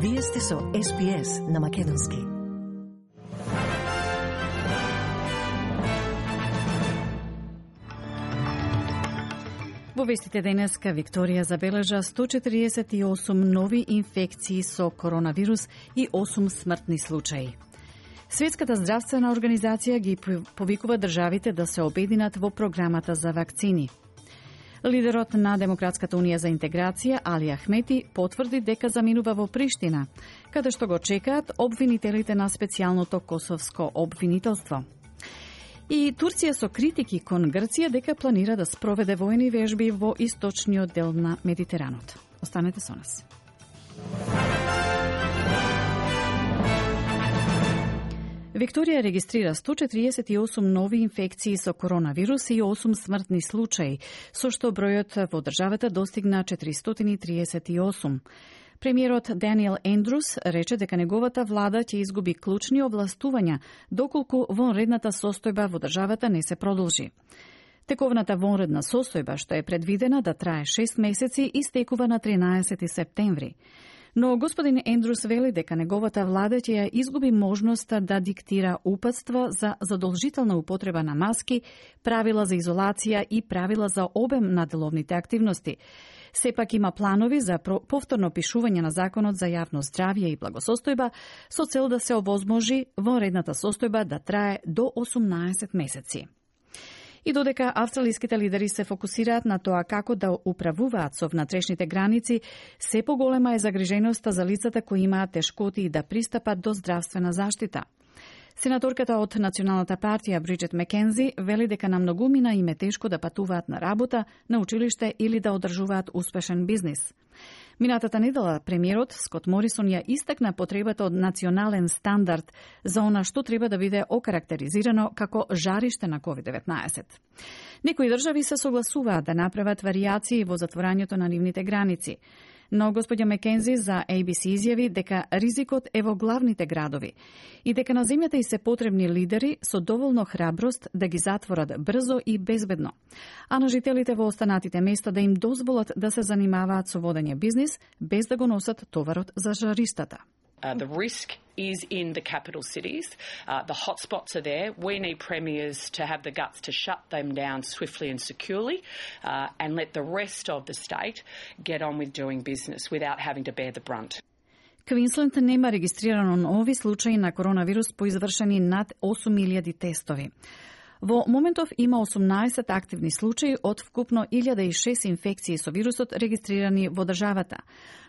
Вие сте со SPS на Македонски. Во вестите денеска Викторија забележа 148 нови инфекции со коронавирус и 8 смртни случаи. Светската здравствена организација ги повикува државите да се обединат во програмата за вакцини. Лидерот на Демократската унија за интеграција Али Ахмети потврди дека заминува во Приштина, каде што го чекаат обвинителите на специјалното косовско обвинителство. И Турција со критики кон Грција дека планира да спроведе војни вежби во источниот дел на Медитеранот. Останете со нас. Викторија регистрира 148 нови инфекции со коронавирус и 8 смртни случаи, со што бројот во државата достигна 438. Премиерот Даниел Ендрус рече дека неговата влада ќе изгуби клучни овластувања доколку вонредната состојба во државата не се продолжи. Тековната вонредна состојба, што е предвидена да трае 6 месеци, истекува на 13 септември. Но господин Ендрус вели дека неговата влада ќе ја изгуби можноста да диктира упатства за задолжителна употреба на маски, правила за изолација и правила за обем на деловните активности. Сепак има планови за повторно пишување на Законот за јавно здравје и благосостојба со цел да се овозможи вонредната состојба да трае до 18 месеци. И додека австралиските лидери се фокусираат на тоа како да управуваат со внатрешните граници, се поголема е загриженоста за лицата кои имаат тешкоти да пристапат до здравствена заштита. Сенаторката од Националната партија Бриджит Макензи вели дека на многумина им е тешко да патуваат на работа, на училиште или да одржуваат успешен бизнис. Минатата недела премиерот Скот Морисон ја истакна потребата од национален стандард за она што треба да биде окарактеризирано како жариште на COVID-19. Некои држави се согласуваат да направат варијации во затворањето на нивните граници. Но господја Макензи за ABC изјави дека ризикот е во главните градови и дека на земјата и се потребни лидери со доволно храброст да ги затворат брзо и безбедно, а на жителите во останатите места да им дозволат да се занимаваат со водење бизнис без да го носат товарот за жариштата. The risk is in the capital cities. The hotspots are there. We need premiers to have the guts to shut them down swiftly and securely and let the rest of the state get on with doing business without having to bear the brunt. Квинсленд нема регистрирано нови случаи на коронавирус по извршени над 8.000 тестови. Во моментов има 18 активни случаи од вкупно 1.006 инфекции со вирусот регистрирани во државата.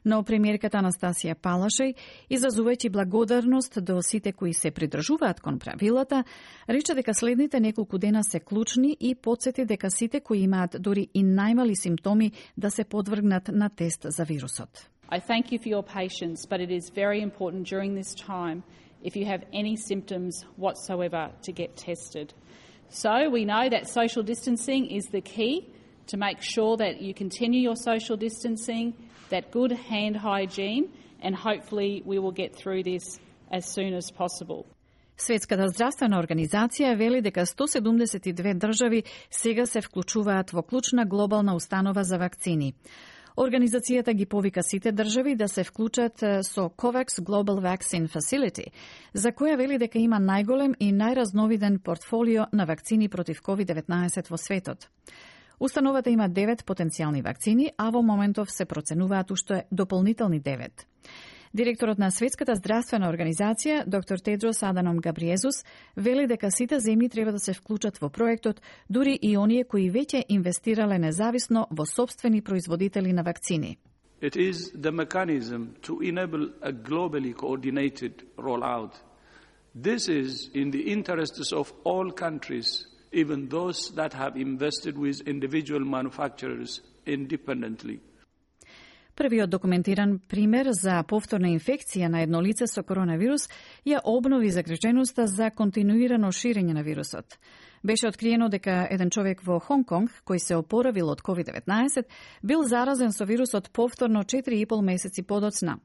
Но премиерката Анастасија Палашеј, изразувајќи благодарност до сите кои се придржуваат кон правилата, рече дека следните неколку дена се клучни и потсети дека сите кои имаат дури и најмали симптоми да се подвргнат на тест за вирусот. I thank you for your patience, but it is very important during this time, if you have any symptoms whatsoever, to get tested. So we know that social distancing is the key to make sure that you continue your social distancing, that good hand hygiene, and hopefully we will get through this as soon as possible. Светската здравствена организација вели дека 172 држави сега се вклучуваат во клучна глобална установа за вакцини. Организацијата ги повика сите држави да се вклучат со COVAX Global Vaccine Facility, за која вели дека има најголем и најразновиден портфолио на вакцини против COVID-19 во светот. Установата има 9 потенцијални вакцини, а во моментов се проценуваат уште дополнителни 9. Директорот на Светската здравствена организација, доктор Тедрос Аданом Габриезус, вели дека сите земји треба да се вклучат во проектот, дури и оние кои веќе инвестирале независно во сопствени производители на вакцини. It is the mechanism to enable a globally coordinated rollout. This is in the interests of all countries, even those that have invested with individual manufacturers independently. Првиот документиран пример за повторна инфекција на едно лице со коронавирус ја обнови загриженоста за континуирано ширење на вирусот. Беше откриено дека еден човек во Хонг Конг, кој се опоравил од COVID-19, бил заразен со вирусот повторно 4,5 месеци подоцна.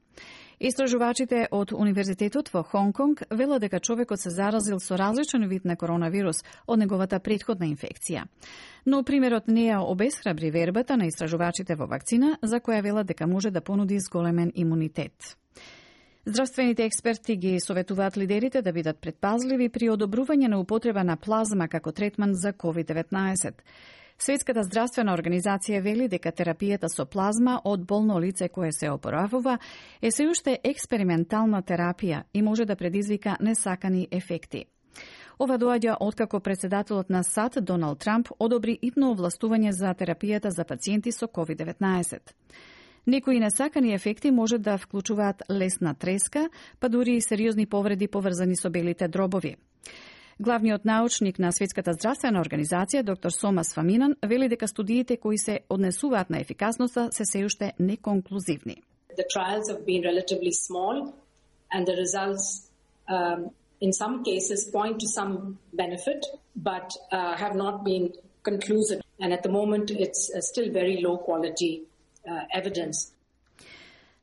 Истражувачите од Универзитетот во Хонг Конг велат дека човекот се заразил со различен вид на коронавирус од неговата претходна инфекција. Но примерот не ја обесхрабри вербата на истражувачите во вакцина, за која велат дека може да понуди зголемен имунитет. Здравствените експерти ги советуваат лидерите да бидат предпазливи при одобрување на употреба на плазма како третман за COVID-19. Светската здравствена организација вели дека терапијата со плазма од болно лице кое се опоравува е се уште експериментална терапија и може да предизвика несакани ефекти. Ова доаѓа откако председателот на САД Доналд Трамп одобри итно овластување за терапијата за пациенти со COVID-19. Некои несакани ефекти може да вклучуваат лесна треска, па дури и сериозни повреди поврзани со белите дробови. Главниот научник на Светската здравствена организација, доктор Сомас Фаминан, вели дека студиите кои се однесуваат на ефикасноста се уште неконклузивни. The trials have been relatively small and the results in some cases point to some benefit but have not been conclusive, and at the moment it's still very low quality evidence.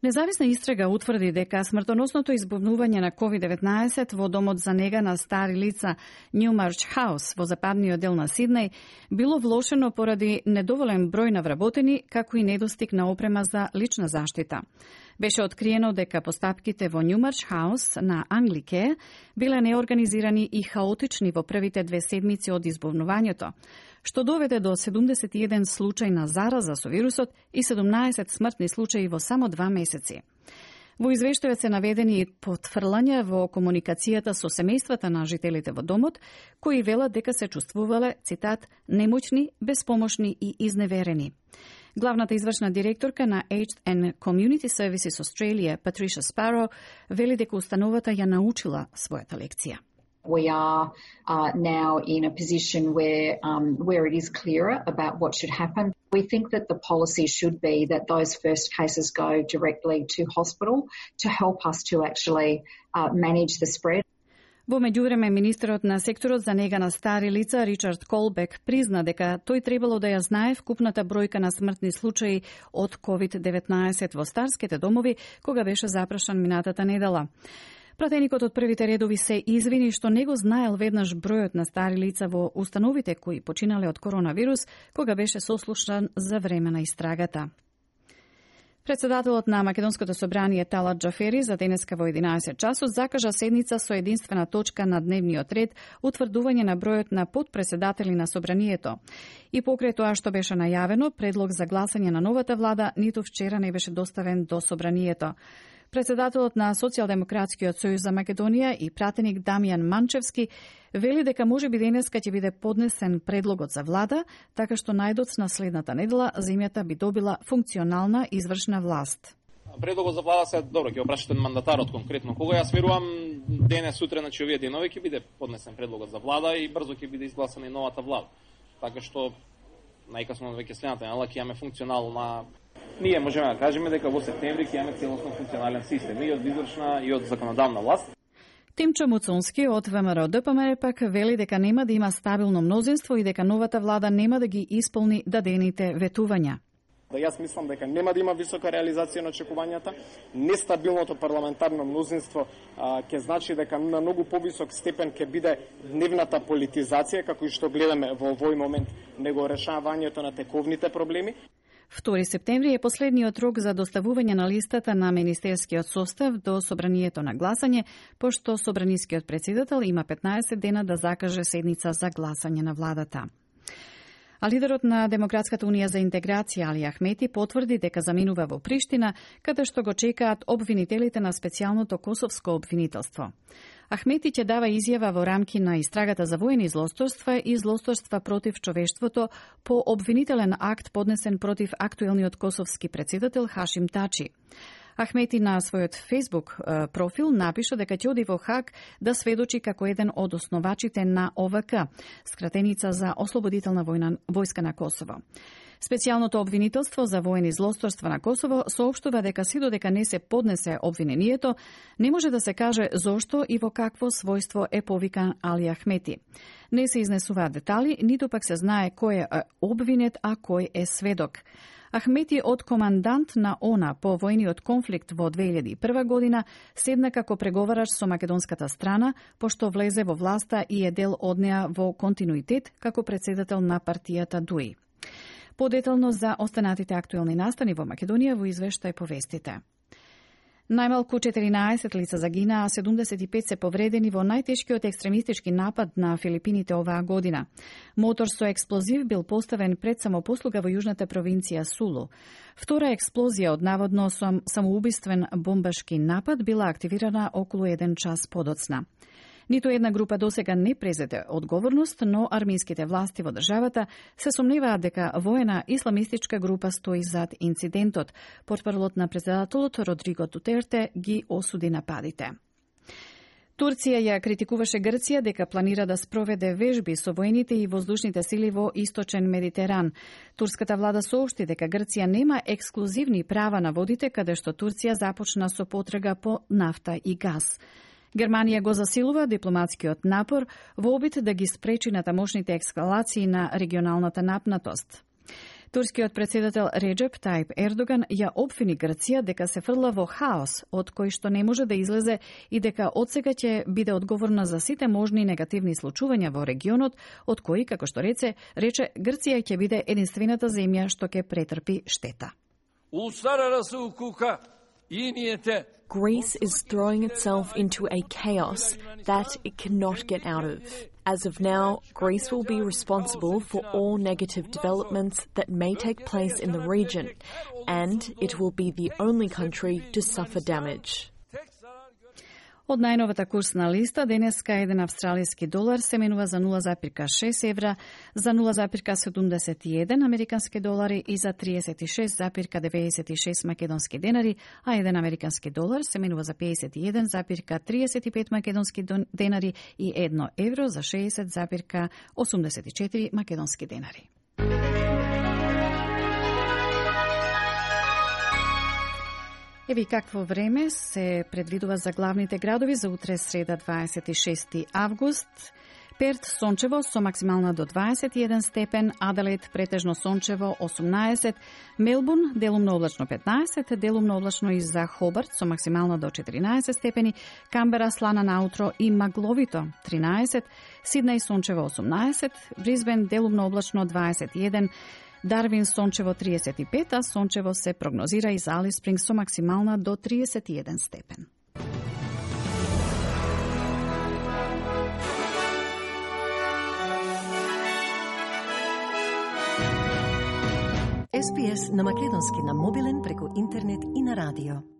Независна истрага утврди дека смртоносното избувнување на COVID-19 во домот за нега на стари лица Newmarch House во западниот дел на Сиднеј било влошено поради недоволен број на вработени, како и недостиг на опрема за лична заштита. Беше откриено дека постапките во Newmarch House на Anglicare биле неорганизирани и хаотични во првите 2 седмици од избувнувањето, што доведе до 71 случај на зараза со вирусот и 17 смртни случаи во само 2 месеци. Во извештајот се наведени и потврлања во комуникацијата со семејствата на жителите во домот, кои велат дека се чувствувале, цитат, немоćни, безпомошни и изневерени. Главната извршна директорка на Aged and Community Services Australia, Patricia Sparrow, вели дека установата ја научила својата лекција. We are now in a position where it is clearer about what should happen. We think that the policy should be that those first cases go directly to hospital to help us to actually manage the spread. Во меѓувреме, министерот на секторот за нега на стари лица Ричард Колбек призна дека тој требало да ја знае вкупната бројка на смртни случаи од COVID-19 во старските домови кога беше запрашан минатата недела. Пратеникот од првите редови се извини што не го знаел веднаш бројот на стари лица во установите кои починале од коронавирус кога беше сослушан за време на истрагата. Председателот на Македонското собрание Талат Џафери за денеска во 11 часот закажа седница со единствена точка на дневниот ред утврдување на бројот на подпредседатели на собранието. И покрај тоа што беше најавено, предлог за гласање на новата влада ниту вчера не беше доставен до собранието. Председателот на Социјалдемократскиот сојуз за Македонија и пратеник Дамјан Манчевски вели дека можеби денеска ќе биде поднесен предлогот за влада, така што најдоцна следната недела земјата би добила функционална извршна власт. Предлогот за влада се добро, ќе опрашате мандатарот конкретно кога. Јас верувам денес сутре, значи овие денови ќе биде поднесен предлогот за влада и брзо ќе биде изгласана и новата влада. Така што најкасно веќе следната недела ќе имаме функционална. Ние можеме да кажеме дека во септември ќе имаме целосно функционален систем и од извршна и од законодавна власт. Тимчо Муцунски од ВМРО ДПМР пак вели дека нема да има стабилно мнозинство и дека новата влада нема да ги исполни дадените ветувања. Јас мислам дека нема да има висока реализација на очекувањата. Нестабилното парламентарно мнозинство ќе значи дека на многу повисок степен ќе биде дневната политизација, како и што гледаме во овој момент, него решавањето на тековните проблеми. 2 септември е последниот рок за доставување на листата на министерскиот состав до собранието на гласање, пошто собранискиот претседател има 15 дена да закаже седница за гласање на владата. А лидерот на Демократската унија за интеграција Али Ахмети потврди дека заминува во Приштина, каде што го чекаат обвинителите на специјалното косовско обвинителство. Ахмети ќе дава изјава во рамки на истрагата за воени злосторства и злосторства против човештвото по обвинителен акт поднесен против актуелниот косовски претседател Хашим Тачи. Ахмети на својот Facebook профил напиша дека ќе оди во Хаг да сведочи како еден од основачите на ОВК, скратеница за Ослободителна војска на Косово. Специјалното обвинителство за воени злосторства на Косово соопштува дека си додека не се поднесе обвинението, не може да се каже зошто и во какво својство е повикан Али Ахмети. Не се изнесуваат детали, ниту пак се знае кој е обвинет, а кој е сведок. Ахмети од командант на ОНА по војниот конфликт во 2001 година седна како преговараш со македонската страна, пошто влезе во власта и е дел од неа во континуитет како претседател на партијата ДУИ. Подетално за останатите актуелни настани во Македонија во извештај повестите. Најмалку 14 лица загинаа, а 75 се повредени во најтешкиот екстремистички напад на Филипините оваа година. Мотор со експлозив бил поставен пред самопослуга во јужната провинција Сулу. Втора експлозија од наводно самоубиствен бомбашки напад била активирана околу 1 час подоцна. Ниту една група досега не презеде одговорност, но армиските власти во државата се сомневаат дека воена исламистичка група стои зад инцидентот. Портпаролот на претседателот Родриго Дутерте ги осуди нападите. Турција ја критикуваше Грција дека планира да спроведе вежби со воените и воздушните сили во Источен Медитеран. Турската влада соопшти дека Грција нема ексклузивни права на водите каде што Турција започна со потрага по нафта и газ. Германија го засилува дипломатскиот напор во обид да ги спречи натамошните ескалации на регионалната напнатост. Турскиот председател Реджеп Тајип Ердоган ја обвини Грција дека се фрла во хаос од кој што не може да излезе и дека одсега ќе биде одговорна за сите можни негативни случувања во регионот, од кои, како што рече, Грција ќе биде единствената земја што ќе претрпи штета. Greece is throwing itself into a chaos that it cannot get out of. As of now, Greece will be responsible for all negative developments that may take place in the region, and it will be the only country to suffer damage. Од најновата курсна листа, денеска еден австралиски долар се менува за 0,6 евра, за 0,71 американски долари и за 36,96 македонски денари, а еден американски долар се менува за 51,35 македонски денари и 1 евро за 60,84 македонски денари. Еви какво време се предвидува за главните градови за утре среда 26 август. Перт сончево со максимална до 21 степен, Аделаид претежно сончево 18, Мелбурн делумно облачно 15, делумно облачно и за Хобарт со максимална до 14 степени, Камбера слана наутро и магловито 13, Сиднеј сончево 18, Брисбен делумно облачно 21, Дарвин сончево 35, а сончево се прогнозира и за Алис Спрингс со максимална до 31 степен. SPS на македонски на мобилен преку интернет и на радио.